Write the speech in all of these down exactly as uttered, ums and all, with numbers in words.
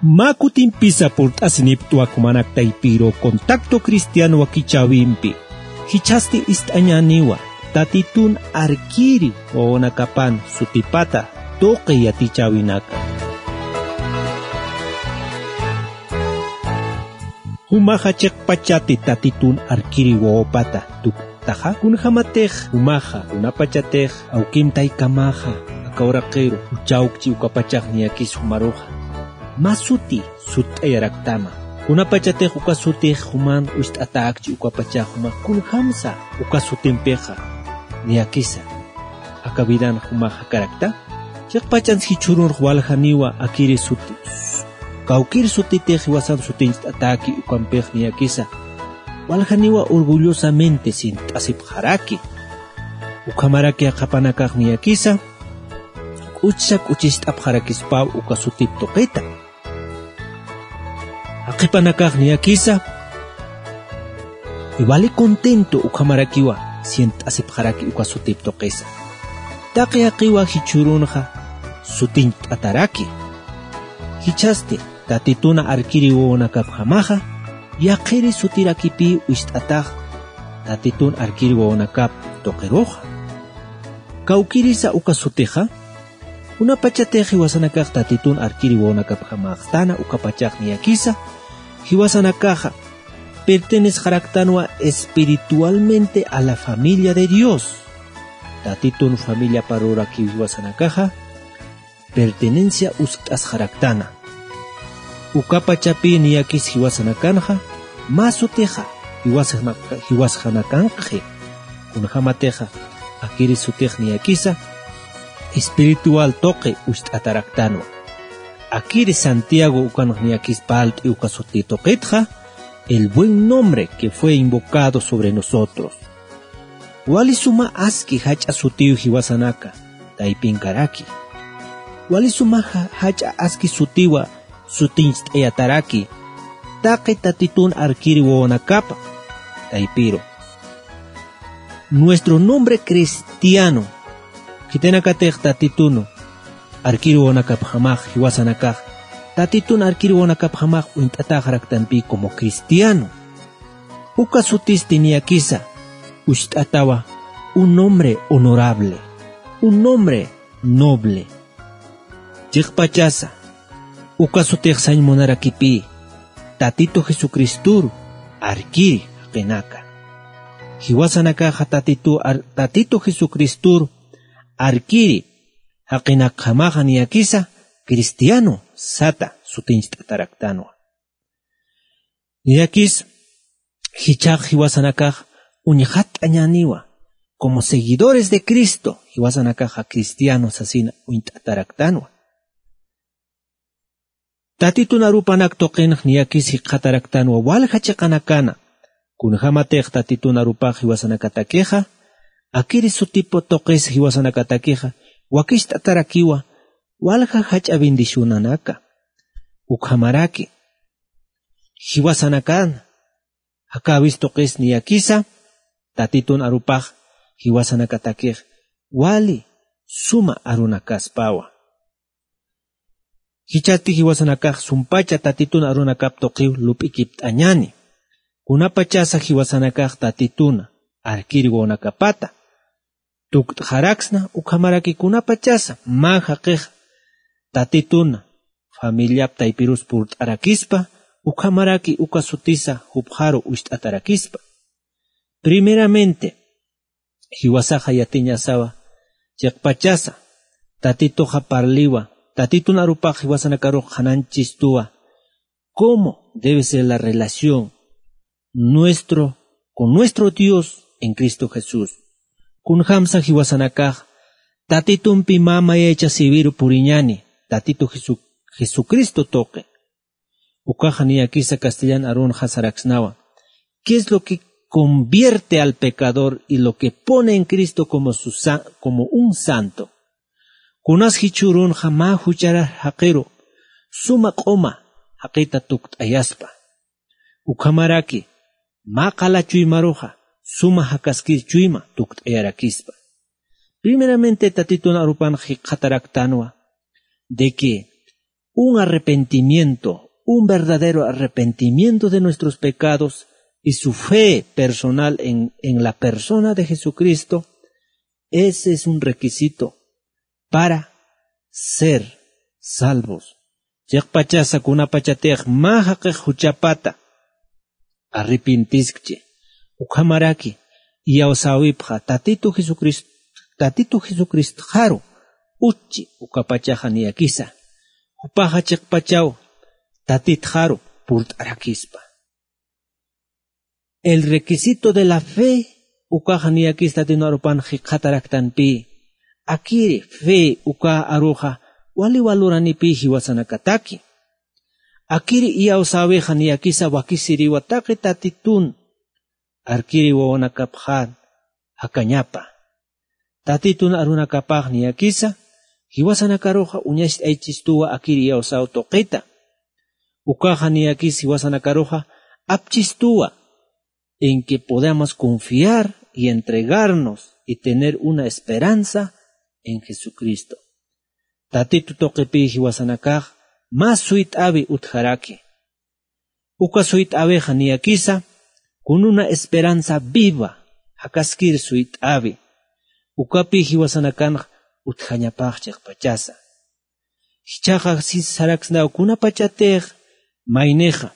Mä kutimpisa purt'asiniptwa jumanak taypiru Contacto Cristiano wakichäwimpi. Jichhasti ist'añäniwa Tatitun arkiri wawanakapan sutipata tuqi yatichäwinaka. Jumaxa chiqpachati Tatitun arkiri wawapata tukt'taxa, kunjämatix jumaxa, kunapachatix awkim taykamaxa aka uraqiru juchawkchi ukapachax niyakis jumaruxa mä suti sutt'ayaraktama. Kunapachatix uka sutix juman ucht'atäkchi ukapachax jumax kunjämsa uka sutimpixa niyakisa aka vidan jumax jakarakta. Chiqpachans jichhürunx waljaniwa akiri suti, kawkir sutitix jiwasan sutincht'atäki ukampix niyakisa waljaniwa orgullosamente sint'asipxaraki. Ukhamaraki jaqhipanakax niyakisa k'uchsa k'uchist'apxarakispaw uka sutip tuqita. Jaqhipanakax niyakisa wali contento ukhamarakiwa sient'asipxaraki uka sutip tuqisa. Taqi jaqiwa jichhürunxa sutincht'ataraki. Jichhasti Tatituna arkiri wawanakapjamaxa yaqhiri sutirakipï ucht'atax Tatitun arkiri wawanakap tuqiruxa. Kawkirisa uka sutixa, kunapachatix jiwasanakax Tatitun arkiri wawanakapjamaxtana ukapachax niyakisa, jiwasanakaxa pertenesxaraktanwa espiritualmente a la familia de Dios. Tatitun familiaparurakiw jiwasanakaxa pertenencia uskt'asxaraktana. Ukapachapï niyakis jiwasanakanxa mä sutixa jiwasana-, jiwasxanakankxi. Kunjämatixa akiri sutix niyakisa espiritual tuqi ucht'ataraktanwa. Akiri Santiago ukanx niyakis parlt'i uka suti tuqitxa, el buen nombre que fue invocado sobre nosotros. Wali suma aski jach'a sutiw jiwasanaka taypinkaraki. Wali suma ja-, jach'a aski sutiwa sutincht'ayataraki taqi Tatitun arkiri wawanakapa taypiru. Nuestro nombre cristiano, khitinakatix Tatitun arkiri wawanakapjamax jiwasanakax, Tatitun arkiri wawanakapjamax uñt'atäxaraktanpï como cristiano. Uka sutisti niyakisa ucht'atawa un hombre honorable, un hombre noble. Chiqpachasa, uka sutix sañ munarakipï Tatitu Jesucristur arkiri jaqinaka. Jiwasanakaxa Tatitu ar-, Tatitu Jesucristur arkiri jaqinakjamaxa niyakisa cristiano sata sutincht'ataraktanwa. Niyakis jichhax jiwasanakax uñxatt'añäniwa, como seguidores de Cristo, jiwasanakaxa cristiano sasina uñt'ataraktanwa. Tatitun arupanak tuqinx niyakis jikxataraktanwa walja chiqanakana, kunjämatix Tatitun arupax jiwasanakatakixa, akiri sutip tuqis jiwasanakatakixa, wakicht'atarakiwa walja jach'a bendicionanaka. Ukhamaraki, jiwasanakan jakäwis tuqis niyakisa, Tatitun arupax jiwasanakatakix wali suma arunakaspawa. Jichhasti jiwasanakax sumpacha Tatitun arunakap tuqiw lup'ikipt'añäni. Kunapachasa jiwasanakax Tatituna arkiri wawanakapata tukt'xaraksna, ukhamaraki kunapachasa mä jaqix Tatituna familiap taypirus purt'arakispa, ukhamaraki uka sutisa jupxaru ucht'atarakispa. Primeramente, jiwasaxa yatiñasawa, chiqpachasa Tatituxa parliwa, Tatitun arupax jiwasanakarux qhanañchistuwa, cómo debe ser la relación nuestro, con nuestro Dios en Cristo Jesús. Kunjämsa jiwasanakax Tatitumpi mä mayaychasïwiru puriñäni, Tatitu Jesu-, Jesucristo tuqi. Ukaxa niyakisa castellan arunxa saraksnawa: ¿Qué es lo que convierte al pecador y lo que pone en Cristo como su sa-, como un santo? Kunas jichhürunxa mä jucharar jaqiru suma q'uma jaqita tukt'ayaspa. Ukhamaraki mä qala chuymaruxa suma jakaskir chuyma tukt'ayarakispa. Primeramente Tatitun arupan jikxataraktanwa de que un arrepentimiento, un verdadero arrepentimiento de nuestros pecados y su fe personal en, en la persona de Jesucristo, ese es un requisito para ser salvos. Chiqpachasa kunapachatix mä jaqix juchapata arrepintiskchi, ukhamaraki iyawsäwipxa Tatitu Jesucrist-, Tatitu Jesucristxaru utchi ukapachaxa niyakisa. Jupaxa chiqpachaw Tatitxaru purt'arakispa. El requisito de la fe ukaxa niyakis Tatitun arupan jikxataraktanpï. Akiri fe uka aruxa wali waluranipï jiwasanakataki. Akiri iyawsäwixa niyakisa wakisiriwa taqi Tatitun arkiri wawanakapxar jakañapa. Tatitun arunakapax niyakisa jiwasanakaruxa uñacht'aychistuwa akiri iyawsäw tuqita. Ukaxa niyakis jiwasanakaruxa apchistuwa en que podamos confiar y entregarnos y tener una esperanza en Jesucristo. Tatitu tuqipï jiwasanakax mä suyt'äwi utjaraki. Uka suyt'äwixa niyakisa con una esperanza viva, jakaskir suyt'äwi. Ukapï jiwasanakanx utjañapax chiqpachasa. Jichhaxa sis saraksnaw kunapachatix maynixa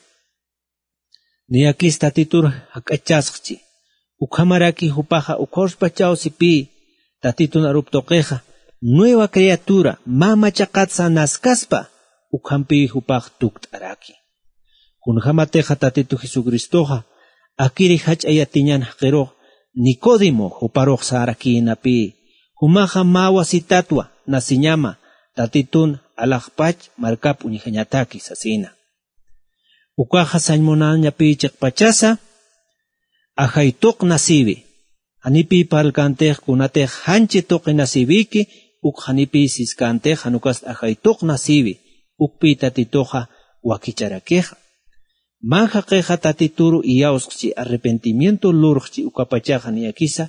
niyakis Tatitur jak'achasxchi. Ukhamaraki jupaxa ukhawspachaw sipï Tatitun arup tuqixa nueva criatura, mä machaqatsa naskaspa, ukhampï jupax tukt'araki. Kunjämatixa Tatitu Jesucristoxa akiri jach'a yatiñan jaqirux Nicodemo juparux sarakïnapï. Jumaxa mä wasitatwa nasiñama Tatitun alaxpach markap uñjañataki sasina. Ukaxa sañ munañapï chiqpachasa ajay tuq nasiwi. Janipï parlkantix kunatix janchi tuqi nasiwiki, uk janipï siskantix jan ukast ajay tuq nasiwi, ukpï Tatituxa wakicharakixa. Mä jaqixa Tatituru iyawsxchi, arrepentimiento lurxchi, ukapachaxa niyakisa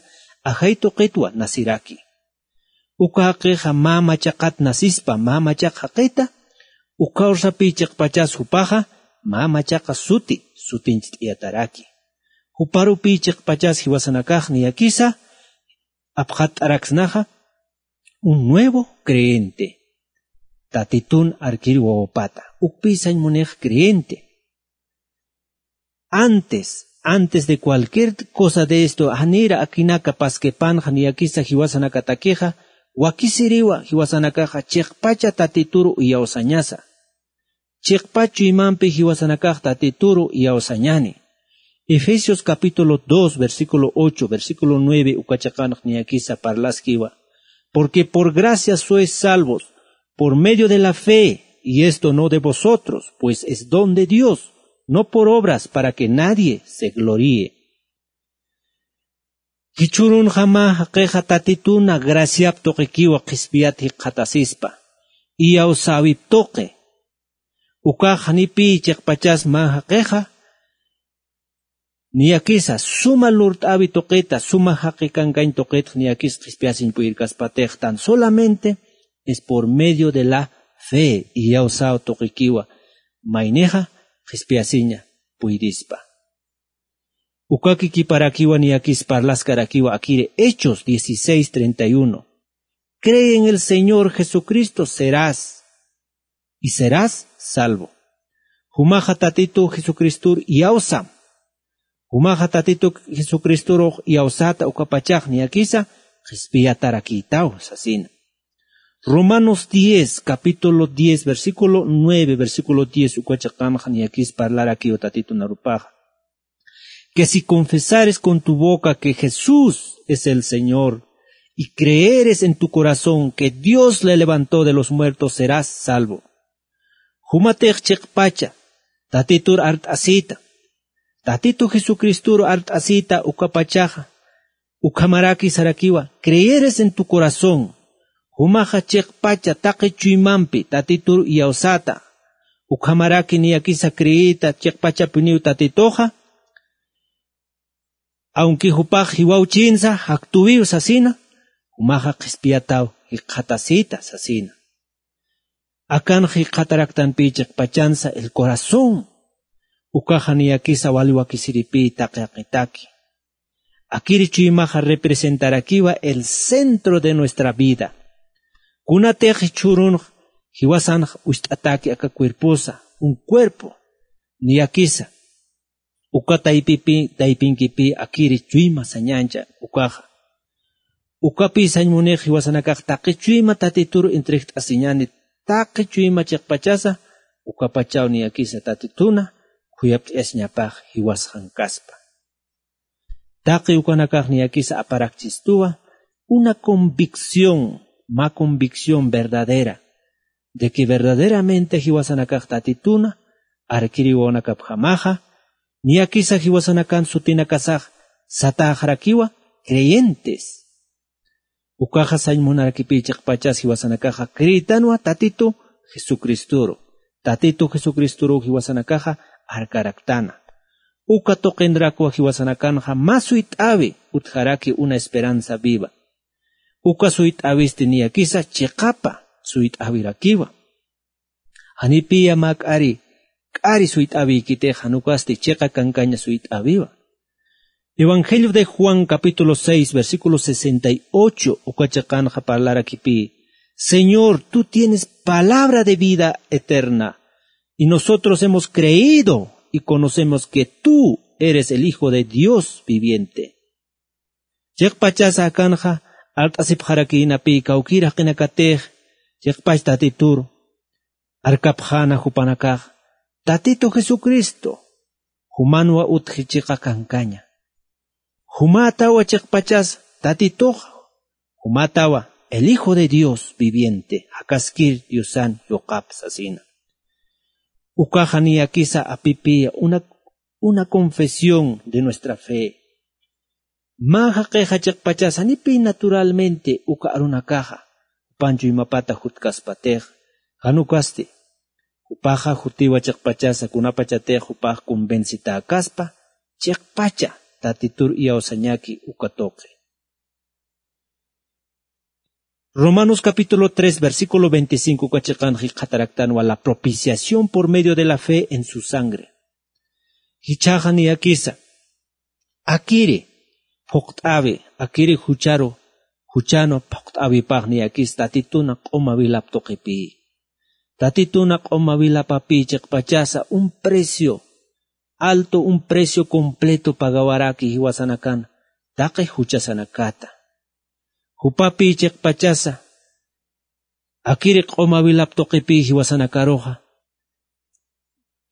ajay tuqitwa nasiraki. Uka jaqixa mä machaqat nasispa, mä machaq jaqita, ukhawsapï chiqpachas jupaxa mä machaqa suti sutincht'iyataraki. Juparupï chiqpachas jiwasanakax niyakisa apxatt'araksnaxa un nuevo creyente. Tatitun arkir wawapata, ukpï sañ munix creyente. Antes, antes de cualquier cosa de esto, janïra akinaka paskipanxa niyakisa jiwasanakatakixa, wakisiriwa jiwasanakaxa chiqpacha Tatituru iyawsañasa. Chiqpach chuymampi jiwasanakax Tatituru iyawsañani. Efesios capítulo dos, versículo ocho, versículo nueve uka chiqanx niyakisa parlaskiwa. Porque por gracia sois salvos, por medio de la fe, y esto no de vosotros, pues es don de Dios, no por obras, para que nadie se gloríe. Jichhürunxa mä jaqixa Tatituna graciap tuqikiwa qhispiyat jikxatasispa, iyawsäwip tuqi. Ukax janipï chiqpachas mä jaqixa, niyakisa suma lurt'äwi tuqita, suma jaqi kankañ tuqitx niyakis qhispiyasiñ puyirkaspatix, tan solamente es por medio de la fe, iyawsäw tuqikiwa maynixa qhispiyasiña puyirispa. Ukaki kiparakiwa niyakis parlaskarakiwa akiri Hechos dieciséis treinta y uno. Cree en el Señor Jesucristo, serás, y serás salvo. Jumaxa Tatitu Jesucristur iyawsam. Jumaxa Tatitu Jesucristurux iyawsata ukapachax niyakisa qhispiyatarakïtaw sasina. Romanos diez, capítulo diez, versículo nueve, versículo diez, uka chiqanxa niyakis parlarakiw Tatitun arupaxa. Que si confesares con tu boca que Jesús es el Señor, y creeres en tu corazón que Dios le levantó de los muertos, serás salvo. Jumatix chiqpacha Tatitur art'asïta, Tatitu Jesucristuru art'asïta ukapachaxa, ukhamaraki sarakiwa, creeres en tu corazón, jumaxa chiqpacha taqi chuymampi Tatitur iyawsata, ukhamaraki niyakisa creeyta chiqpachapiniw Tatituxa, aunque jupax jiwawchinsa jaktuwiw sasina, jumaxa qhispiyataw jikxatasïta sasina. Akanxa jikxataraktanpï chiqpachansa el corazón. Ukaxa niyakisa wali wakisiripï taqi jaqitaki. Akiri chuymaxa representarakiwa el centro de nuestra vida. Kunatix jichhürunx jiwasanx wist'ataki aka cuerposa, un cuerpo, niyakisa. Uka taypipi, taypinkipï akiri chuyma sañancha ukaxa. Ukapï sañ munix jiwasanakax taqi chuyma Tatituru entregt'asiñani, taqi chuyma chiqpachasa, ukapachaw niyakisa Tatituna khuyapt'ayasiñapax jiwasxankaspa. Taqi ukanakax niyakisa aparakchistuwa una convicción, mä convicción verdadera de que verdaderamente jiwasanakax Tatituna, arkiri wawanakapjamaxa, niyakisa jiwasanakan sutinakasax satäxarakiwa creyentes. Ukaxa sañ munarakipï chiqpachas jiwasanakaxa creyitanwa Tatitu Jesucristoru. Tatitu Jesucristoruw jiwasanakaxa arkaraktana. Uka tuqinrakwa jiwasanakanxa mä suyt'äwi utjaraki una esperanza viva. Uka suyt'äwisti niyakisa chiqapa suyt'äwirakiwa. Janipïya mä k'ari, k'ari suyt'äwiykitix jan ukasti chiqa kankaña suyt'äwiwa. Evangelio de Juan capítulo seis, versículo sesenta y ocho, uka chiqanxa parlarakipï: Señor, tú tienes palabra de vida eterna, y nosotros hemos creído y conocemos que tú eres el Hijo de Dios viviente. Chiqpachasa akanxa alt'asipxarakïnapï kawkïr jaqinakatix, chiqpach Tatitur arkapxäna jupanakax, Tatitu Jesucristo jumanwa utji chiqa kankaña. Jumätawa chiqpachas Tatitux, jumätawa el Hijo de Dios viviente, jakaskir Diosan yuqap sasina. Ukaxa niyakisa apipï una, una confesión de nuestra fe. Mä jaqixa chiqpachas janipï naturalmente uka arunakaxa, jupan chuymapata jutkaspatix, jan ukasti, jupaxa jutiwa chiqpachasa kunapachatix jupax convencitäkaspa, chiqpacha Tatitur iyawsañaki uka tuqi. Romanos capítulo tres, versículo veinticinco uka chiqanxa jikxataraktanwa la propiciación por medio de la fe en su sangre. Jichhaxa niyakisa, akiri phuqt'äwi, akiri jucharu, juchanu phuqt'äwipax niyakisa Tatituna q'uma wilap tuqipï. Tatituna q'uma wilapapï chiqpachasa un precio alto, un precio completo pagawaraki jiwasanakan taqi juchasanakata. Jupapï chiqpachasa, akiri q'uma wilap tuqipï jiwasanakaruxa,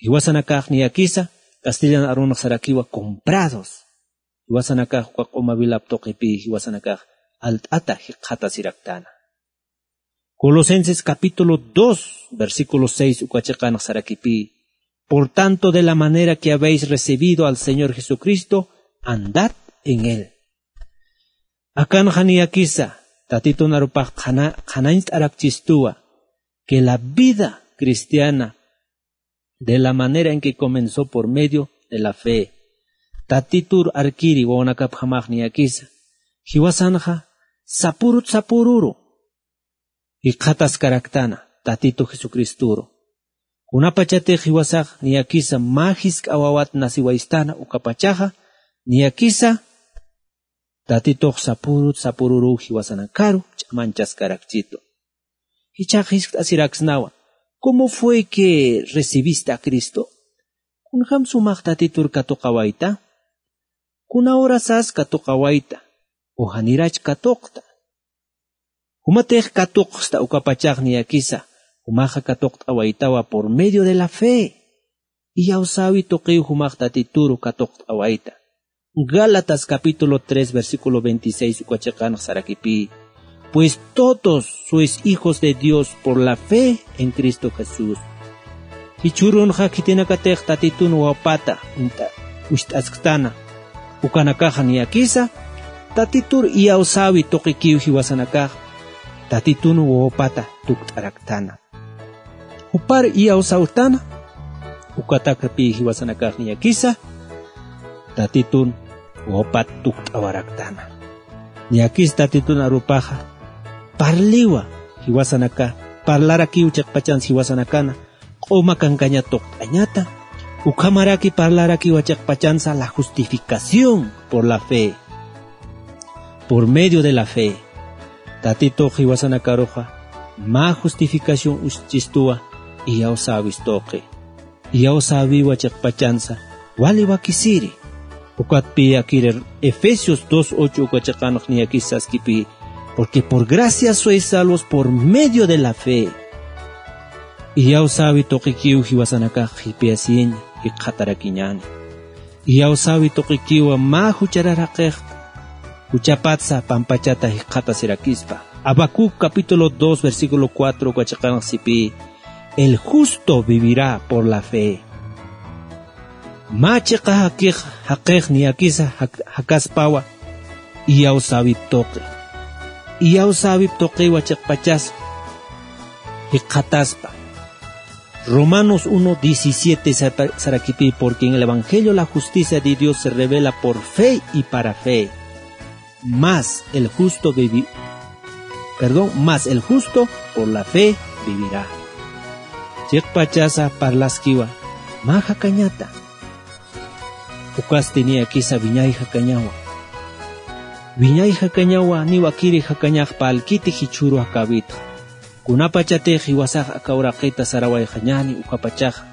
jiwasanakax niyakisa, castellan arunx sarakiwa comprados. Jiwasanakax uka q'uma wilap tuqipï jiwasanakax alt'ata jikxatasiraktana. Colosenses capítulo dos, versículo seis uka chiqanx sarakipï: Por tanto, de la manera que habéis recibido al Señor Jesucristo, andad en él. Akanxa niyakisa, Tatitun arupax qhana-, qhanañcht'arakchistuwa, que la vida cristiana, de la manera en que comenzó por medio de la fe. Tatitur arkiri wawanakapjamax niyakisa, jiwasanxa sapürut sapüruru jikxataskaraktana Tatitu Jesucristoru. Kunapachatix jiwasax niyakisa mä jisk'a wawat naciwaystana ukapachaxa, niyakisa Tatitux sapürut sapüruruw jiwasanakaru ch'amañchaskarakchitu. Jichhax jiskt'asiraksnawa: ¿Cómo fue que recibiste a Cristo? ¿Kunjam sumax Tatitur katuqawayta? ¿Kuna hora sas katuqawayta? ¿O janirach katuqta? Jumatix katuqsta ukapachax niyakisa, jumaxa katuqt'awaytawa por medio de la fe. Iyawsäwi tuqiw jumax Tatituru katuqt'awayta. Gálatas capítulo tres, versículo veintiséis uka chiqanx sarakipï: Pues todos sois hijos de Dios por la fe en Cristo Jesús. Jichhürunxa khitinakatix Tatitun wawapata uñt'a-, ucht'asktana, ukanakaxa niyakisa, Tatitur iyawsäwi tuqikiw jiwasanakax, Tatitun wawapata tukt'araktana. Jupar iyawsawtana, ukatakapï jiwasanakax niyakisa, Tatitun wawapat tukt'awaraktana. Niyakis Tatitun arupaxa, parliwa jiwasanaka, parlarakiw chiqpachansa jiwasanakana, q'uma kankaña tuqt'añata, ukhamaraki parlarakiwa chiqpachansa la justificación por la fe, por medio de la fe. Tatitux jiwasanakaruxa mä justificación uchistuwa, iyawsäwis tuqi. Iyawsäwiwa chiqpachansa, wali wakisiri. Ukatpï akiri Efesios dos ocho uka chiqanx niyakis saskipï, porque por gracia sois salvos por medio de la fe. Iyawsäwi tuqikiw jiwasanakax qhipiyasiña, jikxatarakiñäni. Iyawsäwi tuqikiwa mä jucharar jaqixt, juchapatsa pampachata jikxatasirakispa. Habacuc capítulo dos, versículo cuatro uka chiqanx sipï, el justo vivirá por la fe. Mä chiqa jakix, jaqix niyakisa jak-, jakaspawa, iyawsäwip tuqi. Iyawsäwip tuqiwa chiqpachas jikxataspa. Romanos uno diecisiete sapa-, sarakipï, porque en el evangelio la justicia de Dios se revela por fe y para fe. Mas el justo vivi-, perdón, mas el justo por la fe vivirá. Chiqpachasa parlaskiwa, mä jakañata. Ukasti niyakisa wiñay jakañawa. Wiñay jakañawa, niwakiri jakañax parlkiti jichhüru jakäwitxa. Kunapachatix jiwasax aka uraqita sarawayxañäni, ukapachaxa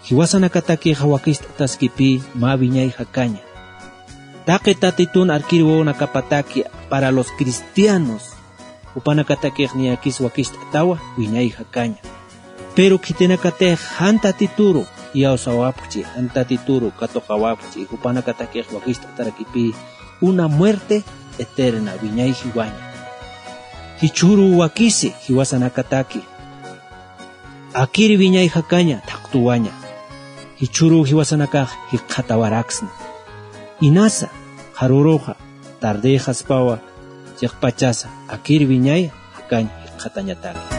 jiwasanakatakixa wakist'ataskipï mä wiñay jakaña. Taqi Tatitun arkir wawanakapataki para los cristianos, jupanakatakix niyakis wakist'atawa wiñay jakaña. Pero khitinakatix jan Tatituru iyawsawapxchi, jan Tatituru katuqawapxchi, jupanakatakix wakist'atarakipï una muerte eterna, wiñay jiwaña. Jichhüru wakisi jiwasanakataki akir wiñay jakaña thaqtuwaña. Jichhüru jiwasanakax jikxatawaraksna. Inasa, qharüruxa, tardïxaspawa, chiqpachasa akir wiñay jakañ jikxatañataki.